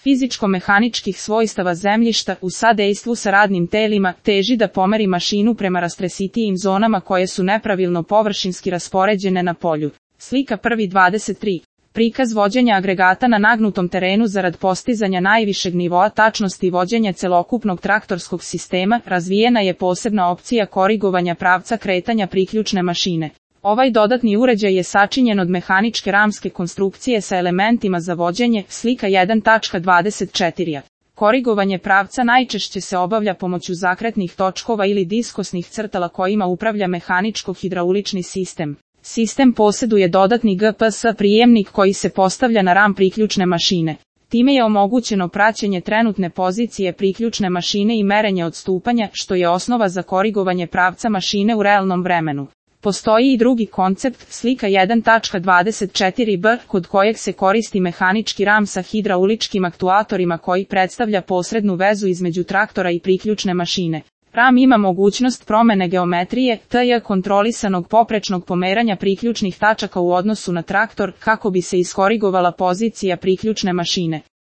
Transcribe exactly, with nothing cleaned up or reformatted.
fizičko-mehaničkih svojstava zemljišta u sadejstvu sa radnim telima teži da pomeri mašinu prema rastresitijim zonama koje su nepravilno površinski raspoređene na polju. Slika prvi dvadeset tri. Prikaz vođenja agregata na nagnutom terenu zarad postizanja najvišeg nivoa tačnosti vođenja celokupnog traktorskog sistema, razvijena je posebna opcija korigovanja pravca kretanja priključne mašine. Ovaj dodatni uređaj je sačinjen od mehaničke ramske konstrukcije sa elementima za vođenje, slika jedan dvadeset četiri. Korigovanje pravca najčešće se obavlja pomoću zakretnih točkova ili diskosnih crtala kojima upravlja mehaničko-hidraulični sistem. Sistem posjeduje dodatni G P S prijemnik koji se postavlja na ram priključne mašine. Time je omogućeno praćenje trenutne pozicije priključne mašine i merenje odstupanja, što je osnova za korigovanje pravca mašine u realnom vremenu. Postoji i drugi koncept, slika jedan dvadeset četiri b, kod kojeg se koristi mehanički ram sa hidrauličkim aktuatorima koji predstavlja posrednu vezu između traktora i priključne mašine. Ram ima mogućnost promene geometrije, tj. kontrolisanog poprečnog pomeranja priključnih tačaka u odnosu na traktor, kako bi se iskorigovala pozicija priključne mašine.